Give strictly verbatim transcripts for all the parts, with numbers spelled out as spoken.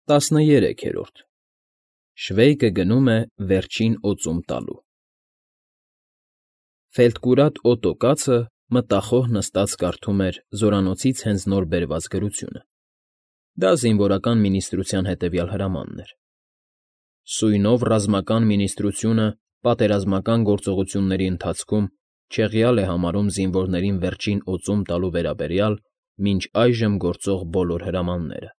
ՏԱՍՆԵՐԵՔԵՐՈՐԴ ՇՎԵՅԿԸ ԳՆՈՒՄ Է ՎԵՐՋԻՆ օծում տալու Ֆելտկուրատ Օտո կացը մտախոհ նստած կարդում էր զորանոցից հենց նոր բերված գրությունը. դա զինվորական մինիստրության հետևյալ հրամանն էր. Սույնով ռազմական մինիստրությունը պատերազմական գործողությունների ընթացքում չեղյալ է համարում զինվորներին վերջին օծում տալու վերաբերյալ մինչ այժմ գործող բոլոր հրամանները։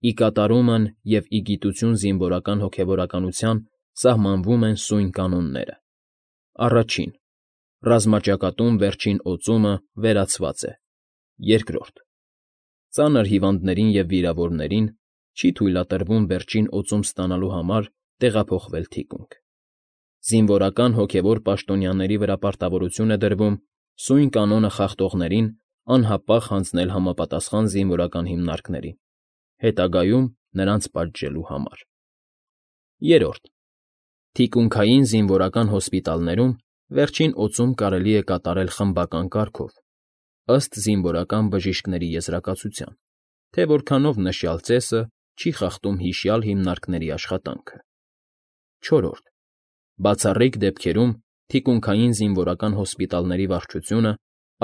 Ի կատարումն և ի գիտություն զինվորական հոգևորականության սահմանվում են սույն կանոնները. Առաջին. Ռազմաճակատում վերջին օծումը վերացված է։ Երկրորդ. Ծանր հիվանդներին և վիրավորներին չի թույլատրվում վերջին օծում ստանալու համար տեղափոխվել թիկունք։ Զինվորական հոգևոր պաշտոնյաների վրա պարտավորություն է դրվում սույն կանոնը խախտողներին անհապաղ հանձնել համապատասխան զինվորական հիմնարկներին, հետագայում նրանց պատժելու համար։ Երրորդ. Թիկունքային զինվորական հոսպիտալներում վերջին օծում կարելի է կատարել խմբական կարգով, ըստ զինվորական բժիշկների եզրակացության, թե որքանով նշյալ ծեսը չի խախտում հիշյալ հիմնարկների աշխատանքը։ Չորրորդ. Բացառիկ դեպքերում թիկունքային զինվորական հոսպիտալների վարչությունը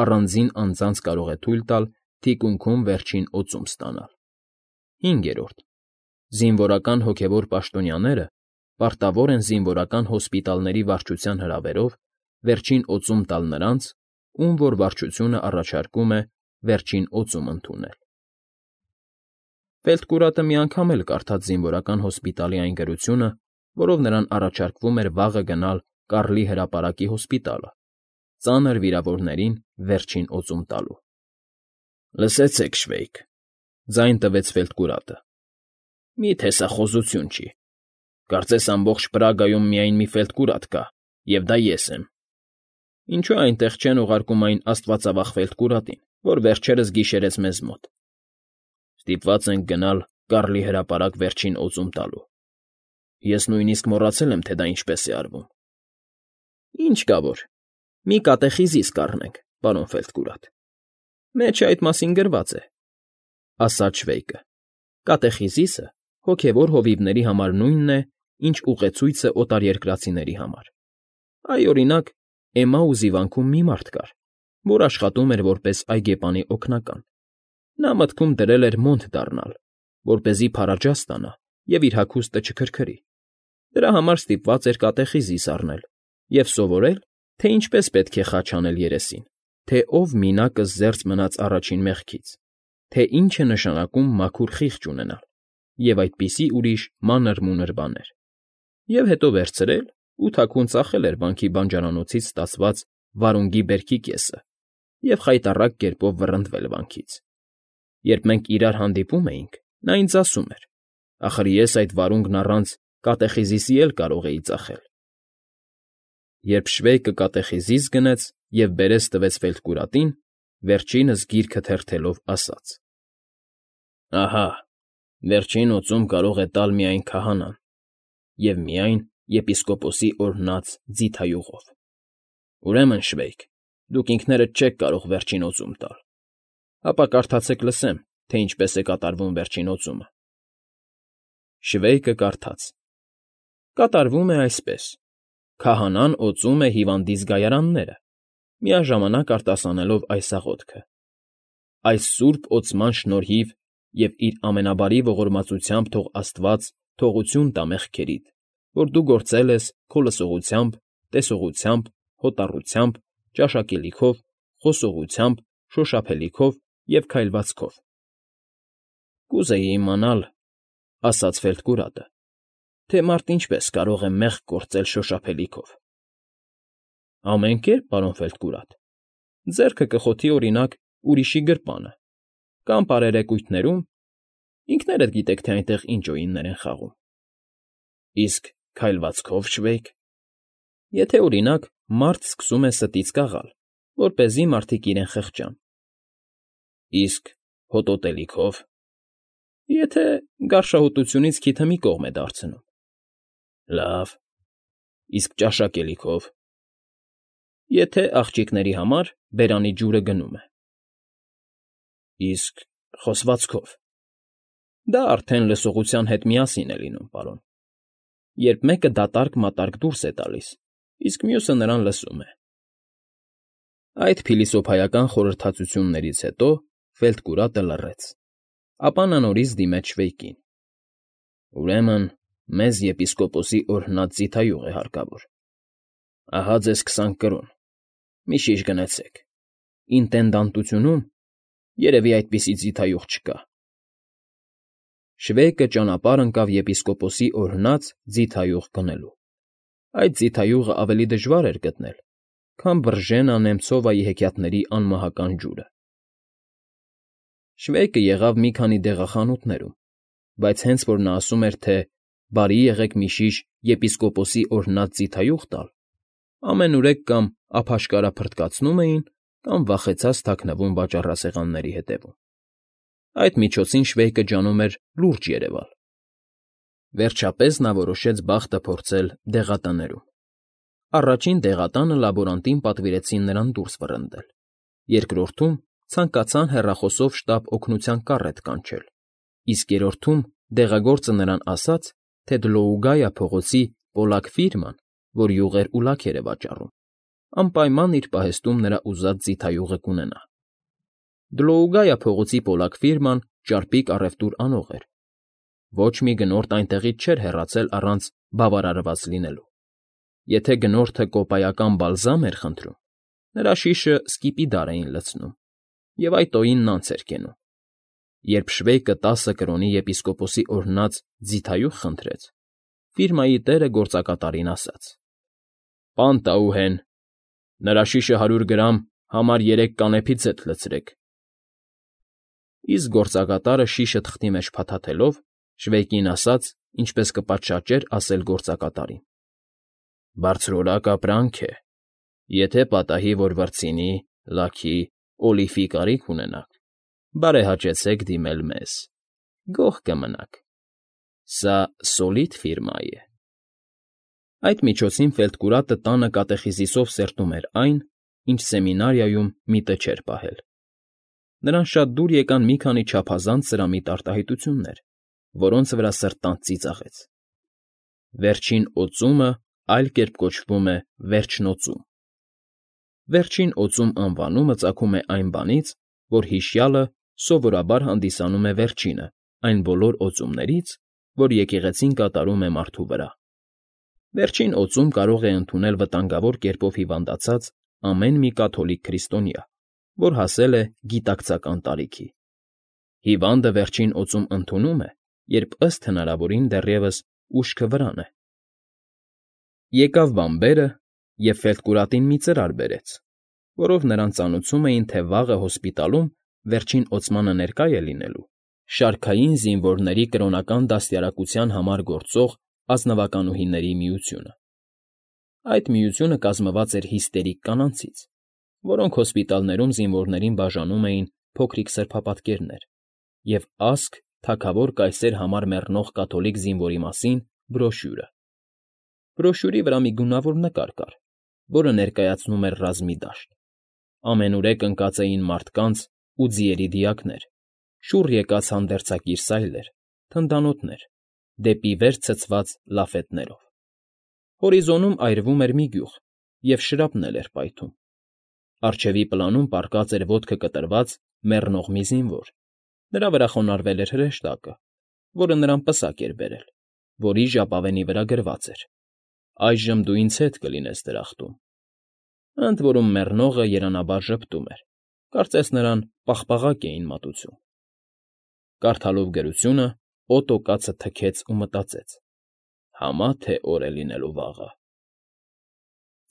առանձին անձանց կարող է թույլ տալ թիկունքում վերջին օծում ստանալ։ Հինգերորդ. Զինվորական հոգևոր պաշտոնյաները պարտավոր են զինվորական հոսպիտալների վարչության հրավերով վերջին օծում տալ նրանց, ում որ վարչությունը առաջարկում է վերջին օծում ընդունել։ Ֆելտկուրատը մի անգամ էլ կարդաց զինվորական հոսպիտալի այն գրությունը, որով նրան առաջարկվում էր վաղը գնալ Կարլի հրապարակի հոսպիտալը, ծանր վիրավորներին վերջին օծում տալու։ Լսեցեք, Շվեյք,֊ ձայն տվեց Ֆելտկուրատը,֊ մի՞թե սա խոզություն չի։ Կարծես ամբողջ Պրագայում միայն մի Ֆելտկուրատ կա, և դա ես եմ։ Ինչո՞ւ այնտեղ չեն ուղարկում այն աստվածավախ Ֆելտկուրատին, որ վերջերս գիշերեց մեզ մոտ։ Ստիպված ենք գնալ Կարլի հրապարակ վերջին օծում տալու։ Ես նույնիսկ մոռացել եմ, թե դա ինչպես է արվում։ Ինչ կա որ, մի կատեխիզիս կառնենք, պարոն Ֆելտկուրատ։ Մեջը այդ մասին գրված է,֊ ասաց Շվեյկը։ Կատեխիզիսը հոգևոր հովիվների համար նույնն է, ինչ ուղեցույցը օտարերկրացիների համար։ Այ, օրինակ, Էմաուզի վանքում մի մարդ կար, որ աշխատում էր որպես այգեպանի օգնական։ Նա մտքում դրել էր մոնտ դառնալ, որպեսզի փարաջազ ստանա և իր հագուստը չքրքրի։ Դրա համար ստիպված էր կատեխիզիս առնել և սովորել, թե ինչպես պետք է խաչ անել երեսին, թե ով մինակը զերծ մնաց առաջին մեղքից, թե ինչ է նշանակում մաքուր խիղճ ունենալ և այդպիսի ուրիշ մանր֊մունր բաներ, և հետո վերցրել ու թաքուն ծախել էր վանքի բանջարանոցից ստացված վարունգի բերքի կեսը և խայտառակ կերպով վռնդվել վանքից։ Երբ մենք իրար հանդիպում էինք, նա ինձ ասում էր. ախր ես այդ վարունգն առանց կատեխիզիսի էլ կարող էի ծախել։ Երբ Շվեյկը կատեխիզիս գնեց և բերես տվեց Ֆելտկուրատին, վերջինս գիրքը թերթելով ասաց. Ահա, վերջին օծում կարող է տալ միայն քահանան, և միայն եպիսկոպոսի օրհնած ձիթայուղով։ Ուրեմն, Շվեյք, դուք ինքներդ չեք կարող վերջին օծում տալ։ Ապա կարդացեք լսեմ, թե ինչպես է կատարվում վերջին օծումը։ Շվեյկը կարդաց. Կատարվում է այսպես. Քահանան օծում է հիվանդի զգայարանները, միաժամանակ արտասանելով այս աղոթքը. Այս սուրբ օծման շնորհիվ և իր ամենաբարի ողորմածությամբ թող Աստված թողություն տա մեղքերիդ, որ դու գործել ես քո լսողությամբ, տեսողությամբ, հոտառությամբ, ճաշակելիքով, խոսողությամբ, շոշափելիքով և քայլվածքով։ Կուզեի իմանալ,֊ ասաց Ֆելտկուրատը,֊ թե մարդ ինչպես կարող է մեղք գործել շոշափելիքով։ Ամեն կերպ, պարոն Ֆելտկուրատ։ Ձեռքը կխոթի, օրինակ, ուրիշի գրպանը, կամ պարերեկույթներում, ինքներդ գիտեք, թե այնտեղ ինչ օյիններ են խաղում։ Իսկ քայլվածքո՞վ, Շվեյք։ Եթե, օրինակ, մարդ սկսում է ստից կաղալ, որպեսզի մարդիկ իրեն խղճան։ Իսկ հոտոտելիքո՞վ։ Եթե գարշահոտությունից քիթը մի կողմ է դարձնում։ Լավ։ Իսկ ճաշակելիքո՞վ։ Եթե աղջիկների համար բերանի ջուրը գնում է։ Իսկ խոսվածքո՞վ։ Դա արդեն լսողության հետ միասին է լինում, պարոն, երբ մեկը դատարկ֊մատարկ դուրս է տալիս, իսկ մյուսը նրան լսում է։ Այդ փիլիսոփայական խորհրդածություններից հետո Ֆելտկուրատը լռեց, ապա նա նորից դիմեց Շվեյկին. Ուրեմն մեզ եպիսկոպոսի օրհնած ձիթայուղ է հարկավոր։ Ահա ձեզ քսան կրոն, մի շիշ գնեցեք, ինտենդանտությունում երևի այդպիսի ձիթայուղ չկա։ Շվեյկը ճանապարհ ընկավ եպիսկոպոսի օրհնած ձիթայուղ գնելու։ Այդ ձիթայուղը ավելի դժվար էր գտնել, քան Վրժենա Նեմցովայի հեքիաթների անմահական ջուրը։ Շվեյկը եղավ մի քանի դեղախանութներում, բայց հենց որ նա ասում էր, թե «Բարի եղեք մի շիշ եպիսկոպոսի օրհնած ձիթայուղ տալ», ամենուրեք կամ ափաշկարա֊փրտկացնում էին, կամ վախեցած թաքնվում վաճառասեղանների հետևում։ Այդ միջոցին Շվեյկը ջանում էր լուրջ երևալ։ Վերջապես նա որոշեց բախտը փորձել դեղատներում։ Առաջին դեղատանը լաբորանտին պատվիրեցին նրան դուրս վռնդել, երկրորդում ցանկացան հեռախոսով շտապ օգնության կառետ կանչել, իսկ երրորդում դեղագործը նրան ասաց, թե Դլոուգայա փողոցի Պոլակ ֆիրման, որ յուղեր ու լաքեր է վաճառում, անպայման իր պահեստում նրա ուզած ձիթայուղը կունենա։ Դլոուգայա փողոցի Պոլակ ֆիրման ճարպիկ առևտուր անող էր։ Ոչ մի գնորդ այնտեղից չէր հեռացել առանց բավարարված լինելու։ Եթե գնորդը կոպայական բալզամ էր խնդրում, նրա շիշը սկիպիդար էին լցնում, և այդ օինն անց էր կենում։ Երբ Շվեյկը տասը կրոնի եպիսկոպոսի օրհնած ձիթայուղ խնդրեց, ֆիրմայի տերը գործակատարին ասաց. «Պան Տաուհեն, նրա շիշը հարյուր գրամ համար երեք կանեփի ձեթ լցրեք»։ Իսկ գործակատարը շիշը թղթի մեջ փաթաթելով Շվեյկին ասաց, ինչպես կպատշաճեր ասել գործակատարին. «Բարձրորակ ապրանք է, եթե պատահի, որ վրձինի, լաքի, օլիֆի կարիք ունենաք, բարեհաճեցեք դիմել մեզ, գոհ կմնաք։ Սա սոլիդ ֆիրմա է»։ Այդ միջոցին Ֆելտկուրատը տանը կատեխիզիսով սերտում էր այն, ինչ սեմինարիայում միտը չէր պահել։ Նրան շատ դուր եկան մի քանի չափազանց սրամիտ արտահայտություններ, որոնց վրա սրտանց ծիծաղեց։ Վերջին օծումը այլ կերպ կոչվում է վերջնօծում։ Վերջին օծում անվանումը ծագում է այն բանից, որ հիշյալը սովորաբար հանդիսանում է վերջինը այն բոլոր օծումներից, որ եկեղեցին կատարում է մարդու վրա։ Վերջին օծում կարող է ընդունել վտանգավոր կերպով հիվանդացած ամեն մի կաթոլիկ քրիստոնյա, որ հասել է գիտակցական տարիքի։ Հիվանդը վերջին օծում ընդունում է, երբ ըստ հնարավորին դեռևս ուշքը վրան է։ Եկավ բանբերը և Ֆելտկուրատին մի ծրար բերեց, որով նրան ծանուցում էին, թե վաղը հոսպիտալում վերջին օծմանը ներկա է լինելու շարքային զինվորների կրոնական դաստիարակության համար գործող ազնվականուհիների միությունը։ Այդ միությունը կազմված էր հիստերիկ կանանցից, որոնք հոսպիտալներում զինվորներին բաժանում էին փոքրիկ սրբապատկերներ և ասք թագավոր կայսեր համար մեռնող կաթոլիկ զինվորի մասին բրոշյուրը։ Բրոշյուրի վրա մի գունավոր նկար կար, որը ներկայացնում էր ռազմի դաշտ։ Ամենուրեք ընկած էին մարդկանց ու ձիերի դիակներ, շուռ եկած հանդերձակիր սայլեր, թնդանոթներ, դեպի վեր ցցված լաֆետներով։ Հորիզոնում այրվում էր մի գյուղ, և շրապնել էր պայթում։ Առջևի պլանում պառկած էր ոտքը կտրված մեռնող մի զինվոր, նրա վրա խոնարհվել էր հրեշտակը, որը նրան պսակ էր բերել, որի ժապավենի վրա գրված էր. «Այժմ դու ինձ հետ կլինես դրախտում»։ Ընդ որում մեռնողը երանաբար ժպտում էր, կարծես նրան պաղպաղակ էին մատուցում։ Կարդալով գրությունը՝ Օտո կացը թքեց ու մտածեց. «Համա թե օր է լինելու վաղը»։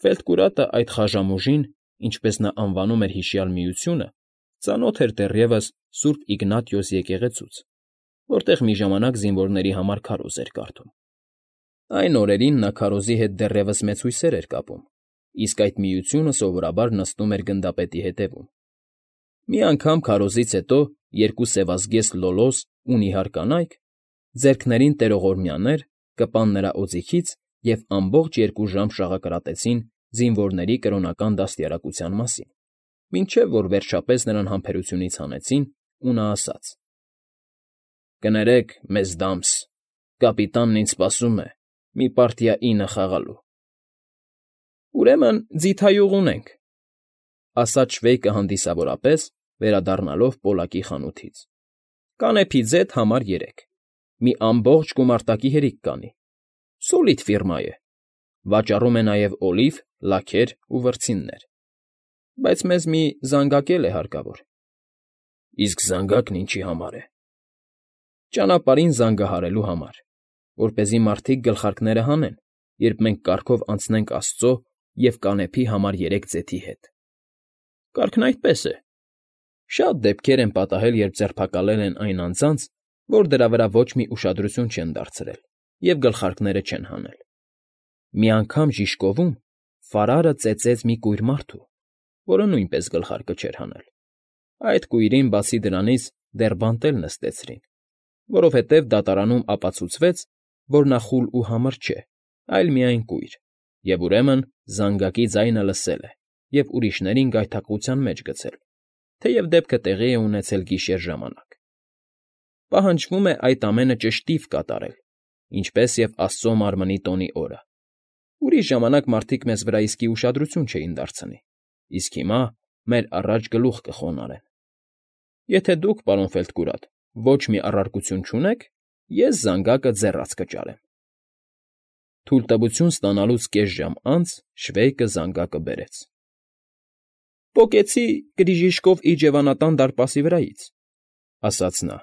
Ֆելտկուրատը այդ խաժամուժին, ինչպես նա անվանում էր հիշյալ միությունը, ծանոթ էր դեռևս Սուրբ Իգնատիոս եկեղեցուց, որտեղ մի ժամանակ զինվորների համար քարոզ էր կարդում։ Այն օրերին նա քարոզի հետ դեռևս մեծ հույսեր էր կապում, իսկ այդ միությունը սովորաբար նստում էր գնդապետի հետևում։ Մի անգամ քարոզից հետո երկու սևազգեստ լոլոս ու նիհար կանայք, ձեռքներին տերողորմյաներ, կպան նրա օձիքից և ամբողջ երկու ժամ շաղակրատեցին զինվորների կրոնական դաստիարակության մասին, մինչև որ վերջապես նրան համբերությունից հանեցին, ու նա ասաց. Կներեք, մեզ դամս, կապիտանն ինձ սպասում է մի պարտիա ինը խաղալու։ ֊ Ուրեմն ձիթայուղ ունենք,֊ ասաց Շվեյկը հանդիսավորապես, վերադառնալով Պոլակի խանութից։֊ Կանեփի ձեթ համար երեք, մի ամբողջ գումարտակի հերիք կանի, սոլիդ ֆիրմա է, վաճառում է նաև օլիվ, լաքեր ու վրձիններ, բայց մեզ մի զանգակ էլ է հարկավոր։ ֊ Իսկ զանգակն ինչի համար է։ ֊ Ճանապարհին զանգահարելու համար, որպեսզի մարդիկ գլխարկները հանեն, երբ մենք կառքով անցնենք աստծո և կանեփի համար երեք ձեթի հետ։ ֊ Կառքն այդպես է. շատ դեպքեր են պատահել, երբ ձերբակալել են այն անձանց, որ դրա վրա ոչ մի ուշադրություն չեն դարձրել և գլխարկները չեն հանել։ Մի անգամ Ժիշկովում Ֆարարը ծեծեց մի կույր մարդու, որը նույնպես գլխարկը չէր հանել։ Այդ կույրին, բացի դրանից, դեռ բանտ էլ նստեցրին, որովհետև դատարանում ապացուցվեց, որ նա խուլ ու համր չէ, այլ միայն կույր, և ուրեմն զանգակի ձայնը լսել է և ուրիշներին գայթակղության մեջ գցել, թեև դեպքը տեղի է ունեցել գիշեր ժամանակ։ Պահանջվում է այդ ամենը ճշտիվ կատարել, ինչպես և Աստծո Մարմնի տոնի օրը։ Ուրիշ ժամանակ մարդիկ մեզ վրա իսկի ուշադրություն չէին դարձնի, իսկ հիմա մեր առաջ գլուխ կխոնարհեն։ Եթե դուք, պարոն Ֆելտկուրատ, ոչ մի առարկություն չունեք, ես զանգակը ձեռաց կճարեմ։ Թույլտվություն ստանալուց կես ժամ անց Շվեյկը զանգակը բերեց։ ֊ Պոկեցի Կրիժիշկով իջևանատան դարպասի վրայից,֊ ասաց նա։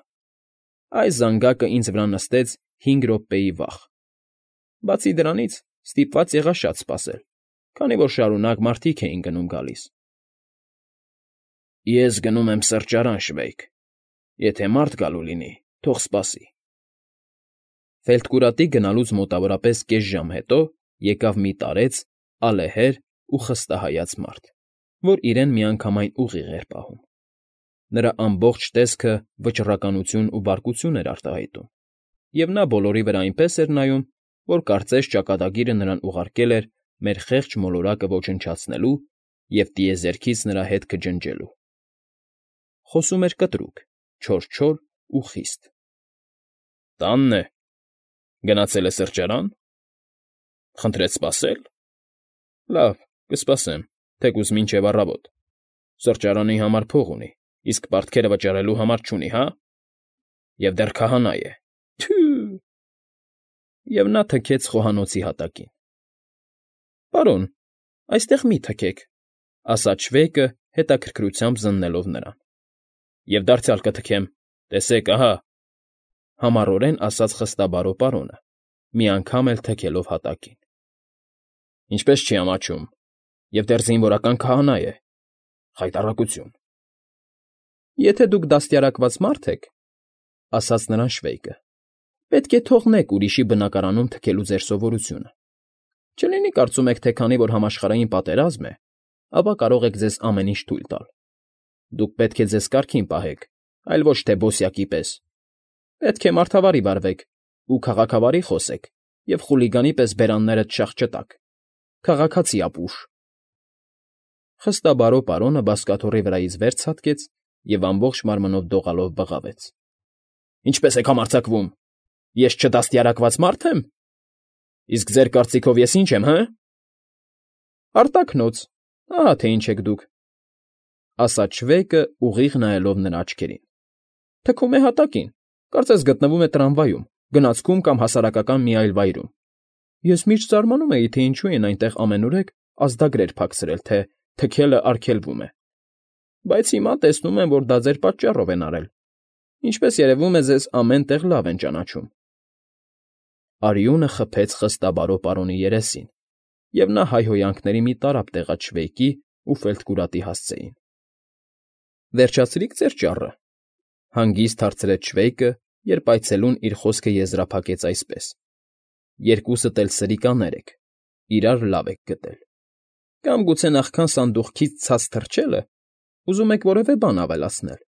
Այս զանգակը ինձ վրա նստեց հինգ րոպեի վախ։ Բացի դրանից, ստիպված եղա շատ սպասել, քանի որ շարունակ մարդիկ էին գնում֊գալիս։ ֊ Ես գնում եմ սրճարան, Շվեյկ, եթե մարդ գալու լինի, թող սպասի։ Ֆելտկուրատի գնալուց մոտավորապես կես ժամ հետո եկավ մի տարեց, ալեհեր ու խստահայաց մարդ, որ իրեն միանգամայն ուղիղ էր պահում։ Նրա ամբողջ տեսքը վճռականություն ու բարկություն էր արտահայտում, և նա բոլորի վրա այնպես էր նայում, որ կարծես ճակատագիրը նրան ուղարկել էր մեր խեղճ մոլորակը ոչնչացնելու և տիեզերքից նրա հետքը ջնջելու։ Խոսում էր կտրուկ, չոր֊չոր ու խիստ։ ֊ Տանն է։ Գնացել է սրճարան։ Խնդրեց սպասել։ Լավ, կսպասեմ, թեկուզ մինչև առավոտ։ Սրճարանի համար փող ունի, իսկ պարտքերը վճարելու համար չունի, հա՞։ Եվ դեռ քահանա է։ Թյո՜ւ… Եվ նա թքեց խոհանոցի հատակին։ ֊ Պարոն, այստեղ մի թքեք,֊ ասաց Շվեյկը, հետաքրքրությամբ զննելով նրան։ ֊ Եվ դարձյալ կթքեմ, տեսեք, ահա,֊ համառորեն ասաց խստաբարո պարոնը, մի անգամ էլ թքելով հատակին։ ֊ Ինչպես չի ամաչում, և դեռ զինվորական քահանա է… Խայտառակություն… ֊ Եթե դուք դաստիարակված մարդ եք,֊ ասաց նրան Շվեյկը,֊ պետք է թողնեք ուրիշի բնակարանում թքելու ձեր սովորությունը։ Չլինի կարծում եք, թե քանի որ համաշխարհային պատերազմ է, ապա կարող եք ձեզ ամեն ինչ թույլ տալ։ Դուք պետք է ձեզ կարգին պահեք, այլ ոչ թե բոսյակի պես։ Պետք է մարդավարի վարվեք ու քաղաքավարի խոսեք և խուլիգանի պես բերաններդ շաղ չտաք։ Քաղաքացի ապուշ… Խստաբարո պարոնը բազկաթոռի վրայից վեր ցատկեց և ամբողջ մարմնով դողալով բղավեց։ ֊ Ինչպե՞ս եք համարձակվում… Ես չդաստիարակված մարդ եմ… Իսկ ձեր կարծիքով ես ի՞նչ եմ, հը… Արտաքնոց, ահա թե ինչ եք դուք,֊ ասաց Շվեյկը, ուղիղ նայելով նրա աչքերին։ ֊ Թքում է հատակին, կարծես գտնվում է տրամվայում, գնացքում կամ հասարակական մի այլ վայրում։ Ես միշտ զարմանում էի, թե ինչու են այնտեղ ամենուրեք ազդագրեր փակցրել, թե թքելը արգելվում է։ Բայց հիմա տեսնում եմ, որ դա ձեր պատճառով են արել։ Ինչպես երևում է, ձեզ ամեն տեղ լավ են ճանաչում։ Արյունը խփեց խստաբարո պարոնի երեսին, և նա հայհոյանքների մի տարափ տեղաց Շվեյկի ու Ֆելտկուրատի հասցեին։ ֊ Վերջացրի՞ք ձեր ճառը,֊ հանգիստ հարցրեց Շվեյկը, երբ այցելուն իր խոսքը եզրափակեց այսպես. Երկուսդ էլ սրիկաներ եք, իրար լավ եք գտել։ Կամ գուցե նախքան սանդուղքից ցած թռչելը ուզում եք որևէ բան ավելացնել։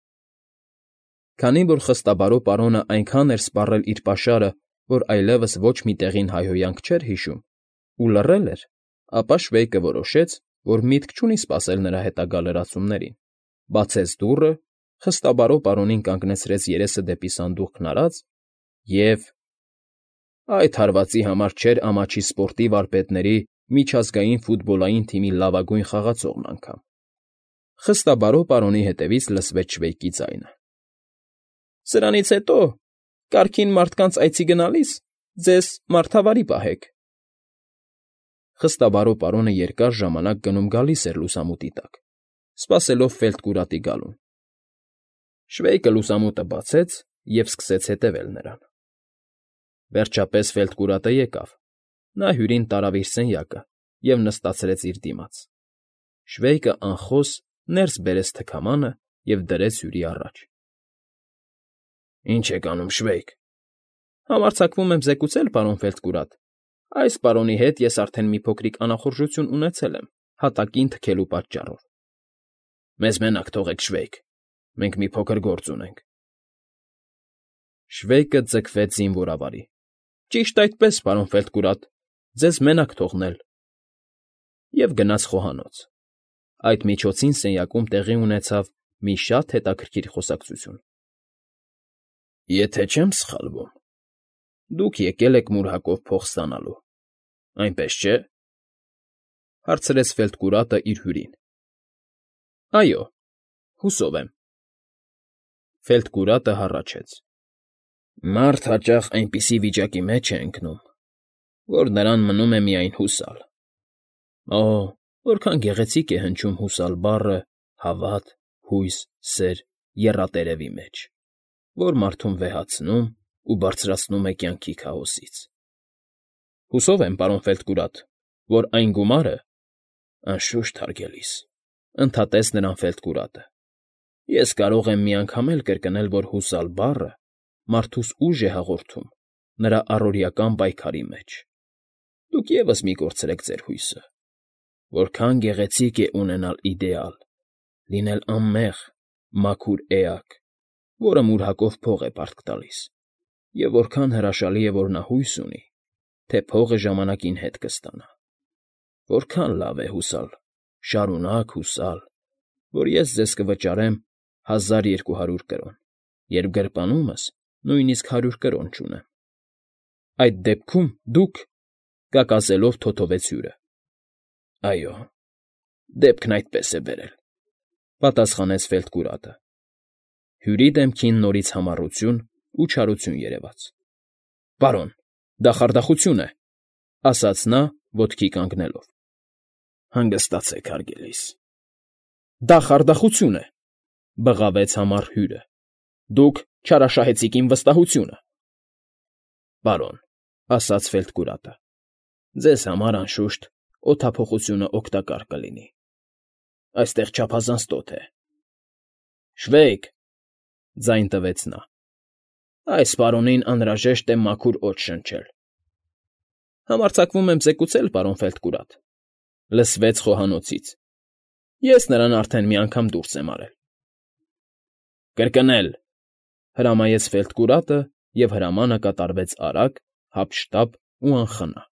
Քանի որ խստաբարո պարոնը այնքան էր սպառել իր պաշարը, որ այլևս ոչ մի տեղին հայհոյանք չէր հիշում, ու լռել էր, ապա Շվեյկը որոշեց, որ միտք չունի սպասել նրա հետագա լրացումներին, բացեց դուռը, խստաբարո պարոնին կանգնեցրեց երեսը դեպի սանդուղքն արած և… Այդ հարվածի համար չէր ամաչի սպորտի վարպետների միջազգային ֆուտբոլային թիմի լավագույն խաղացողն անգամ… Խստաբարո պարոնի հետևից լսվեց Շվեյկի ձայնը. ֊ Սրանից հետո, կարգին մարդկանց այցի գնալիս ձեզ մարդավարի պահեք… Խստաբարո պարոնը երկար ժամանակ գնում֊գալիս էր լուսամուտի տակ, սպասելով Ֆելտկուրատի գալուն… Շվեյկը լուսամուտը բացեց և սկսեց հետևել նրան… Վերջապես Ֆելտկուրատը եկավ, նա հյուրին տարավ իր սենյակը և նստացրեց իր դիմաց… Շվեյկը անխոս ներս բերեց թքամանը և դրեց հյուրի առաջ։ ֊ Ի՞նչ եք անում, Շվեյկ,֊ Համարձակվում եմ զեկուցել, պարոն Ֆելտկուրատ, այս պարոնի հետ ես արդեն մի փոքրիկ անախորժություն ունեցել եմ հատակին թքելու պատճառով… ֊ Մեզ մենակ թողեք, Շվեյկ, մենք մի փոքր գործ ունենք… Շվեյկը ձգվեց զինվորավարի. ֊ Ճիշտ այդպես, պարոն Ֆելտկուրատ, ձեզ մենակ թողնել… և գնաց խոհանոց… Այդ միջոցին սենյակում տեղի ունեցավ մի շատ հետաքրքիր խոսակցություն։ ֊ Եթե չեմ սխալվում, դուք եկել եք մուրհակով փող ստանալու, այնպես չէ՞, ֊ հարցրեց Ֆելտկուրատը իր հյուրին։ ֊ Այո, հուսով եմ… Ֆելտկուրատը հառաչեց. ֊ Մարդ հաճախ այնպիսի վիճակի մեջ է ընկնում, որ նրան մնում է միայն հուսալ… Օ՜, որքան գեղեցիկ է հնչում հուսալ բառը հավատ, հույս, սեր, եռատերևի մեջ, որ մարդուն վեհացնում ու բարձրացնում է կյանքի քաոսից… ֊ Հուսով եմ, պարոն Ֆելտկուրատ, որ այն գումարը… Անշուշտ, հարգելիս,֊ ընդհատեց նրան Ֆելտկուրատը։֊ Ես կարող եմ մի անգամ էլ կրկնել, որ հուսալ բառը մարդուս ուժ է հաղորդում նրա առօրեական պայքարի մեջ… Դուք ևս մի կորցրեք ձեր հույսը… Որքան գեղեցիկ է ունենալ իդեալ, լինել անմեղ, մաքուր էակ, որը մուրհակով փող է պարտք տալիս, և որքան հրաշալի է, որ նա հույս ունի, թե փողը ժամանակին հետ կստանա… Որքան լավ է հուսալ, շարունակ հուսալ, որ ես ձեզ կվճարեմ հազար երկու հարյուր կրոն, երբ գրպանումս նույնիսկ հարյուր կրոն չունեմ… ֊ Այդ դեպքում դուք,֊ կակասելով թոթվեց հյուրը։ ֊ Այո, դեպքն այդպես է բերել,֊ պատասխանեց Ֆելտկուրատը։ Հյուրի դեմքին նորից համառություն ու չարություն երևաց։ ֊ Պարոն, դա խարդախություն է,֊ ասաց նա, ոտքի կանգնելով։ ֊ Հանգստացեք, հարգելիս… ֊ Դա խարդախություն է,֊ բղավեց համառ հյուրը։֊ Դուք չարաշահեցիք իմ վստահությունը… ֊ Պարոն,֊ ասաց Ֆելտկուրատը,֊ ձեզ համար, անշուշտ, օդափոխությունը օգտակար կլինի… Այստեղ չափազանց տոթ է… ֊ Շվեյկ,֊ ձայն տվեց նա,֊ այս պարոնին անհրաժեշտ է մաքուր օդ շնչել… ֊ Համարձակվում եմ զեկուցել, պարոն Ֆելտկուրատ,֊ լսվեց խոհանոցից,֊ ես նրան արդեն մի անգամ դուրս եմ արել… ֊ Կրկնել,֊ հրամայեց Ֆելտկուրատը, և հրամանը կատարվեց արագ, հափշտապ ու անխնա։